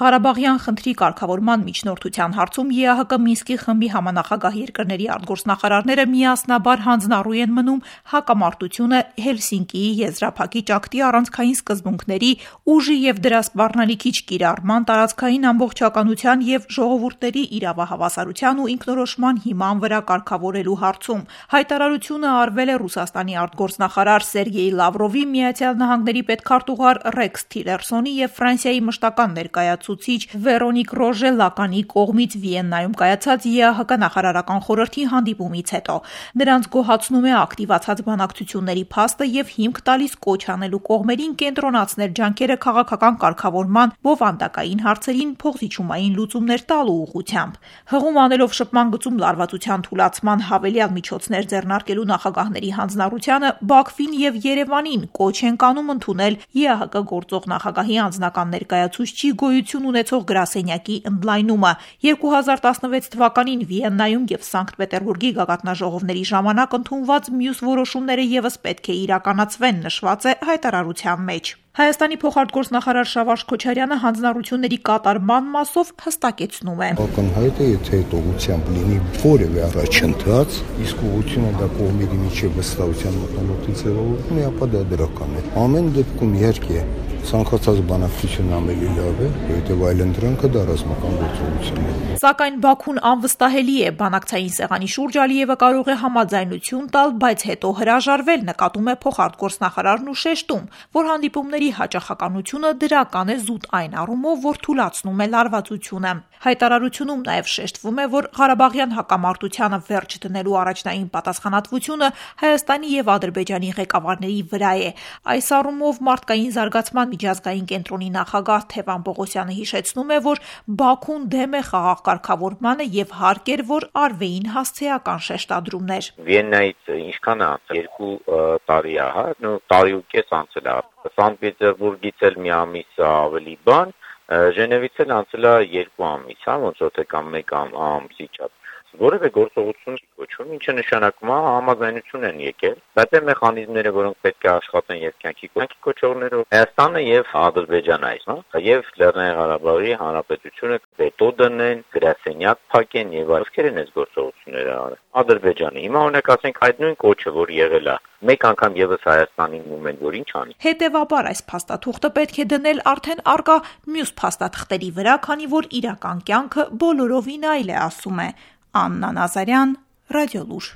Ղարաբաղյան խնդրի կարգավորման միջնորդության հարցում ԵԱՀԿ Մինսկի խմբի համանախագահ երկրների արտգործնախարարները միասնաբար հանձնառու են մնում հակամարտությունը Հելսինկիի եզրափակիչ ակտի առանցքային սկզբունքների, ուժի եւ դրա սպառնալիքիչ կիրառման, տարածքային ամբողջականության եւ ժողովուրդների իրավահավասարության ու ինքնորոշման հիման վրա կարգավորելու հարցում։ Հայտարարությունը արվել է Ռուսաստանի արտգործնախարար Սերգեյ Լավրովի, Միացյալ Նահանգների պետքարտուղար Ռեքս Թիլերսոնի եւ Ֆրանսիայի մշտական ներկայացուցիչ Վերոնիկ Ռոժե Լականի կողմից Վիեննայում կայացած ԵԱՀԿ նախարարական խորհրդի հանդիպումից հետո։ Նրանց գոհացնում է ակտիվացած բանակցությունների փաստը եւ հիմք տալիս կոչ անելու կողմերին կենտրոնացնել ջանքերը քաղաքական կարգավորման, բովանդակային հարցերին փոխզիջումային լուծումներ տալու ուղղությամբ։ Հղում անելով շփման գծում լարվածության թուլացման հավելյալ միջոցներ ձեռնարկելու նախագահների հանձնառությանը Բաքվին եւ Երևանին կոչ են կանում ընդունել ԵԱՀԿ գործող նախագահի անձնական ներկայացուցչի գոյություն ունեցող գրասենյակի ընդլայնումը։ 2016 թվականին Վիեննայում եւ Սանկտ Պետերբուրգի գագաթնաժողովների ժամանակ ընդունված մյուս որոշումները եւս պետք է իրականացվեն, նշված է հայտարարության մեջ։ Հայաստանի փոխարտգործնախարար Շավարժ Քոչարյանը հանձնառությունների կատարման մասով հստակեցնում է. Ակնհայտ է, եթե այդ ուղղությամբ լինի որևէ առաջընթաց, իսկ ուղղությունը դա կողմերի միջև վստահության մոտենալու ձևավորվում է, ապա դա դրական է։ Ամեն դեպքում իհարկե ցանկացած բանակցություն ավելի լավ է, որովհետև այլընտրանքը դա ռազմական գործողություն է։ Սակայն Բաքուն անվստահելի է, բանակցային սեղանի շուրջ Ալիևը կարող է համաձայնություն տալ, բայց հետո հրաժարվել, նկատում է փոխարտգործնախարարն ու շեշտում, որ հանդիպումների հաճախականությունը դրական է զուտ այն առումով, որ թուլացնում է լարվածությունը։ Հայտարարությունում նաև շեշտվում է, որ Ղարաբաղյան հակամարտությանը վերջ դնելու առաջնային պատասխանատվությունը Հայաստանի եւ Ադրբեջանի ղեկավարների վրա է։ Այս առումով մարդկային զարգացման միջազգային կենտրոնի նախագահ Թևան Պողոսյանը հիշեցնում է, որ Բաքուն դեմ է խաղաղ կարգավորմանը եւ հարկ էր, որ արվեին հասցեական շեշտադրումներ։ Վիեննայից ինչքան է անցել 2 տարի է, հա, տարի ու կես անցել է։ Սանկտ Պետերբուրգից էլ մի ամիս ավելի բան, Ժնևից էլ անցել է 2 ամիս, հա, ոնց որ թե կամ 1 ամսի չափ։ Որևէ գործողություն չի կոչվում, ինչը նշանակում է համաձայնություն են եկել, բայց այն մեխանիզմները, որոնք պետք է աշխատեն եւ կյանքի կոչողներով Հայաստանը եւ Ադրբեջանը այս, հա, եւ Լեռնային Ղարաբաղի Հանրապետությունը վետո դնեն, գրասենյակ փակեն եւ ովքեր են այս գործողությունները արել։ Ադրբեջանը։ Հիմա օրինակ ասենք այդ նույն կոչը, որ եղել է, մեկ անգամ եւս Հայաստանին մոմենտ, որ ինչ անի։ Հետևաբար այս փաստաթուղթը պետք է դնել արդեն արկա մյուս փաստաթղթերի վրա, քանի որ իրական կյանքը բոլորովին այլ է, ասում է Աննա Նազարյան, Ռադիոլուր։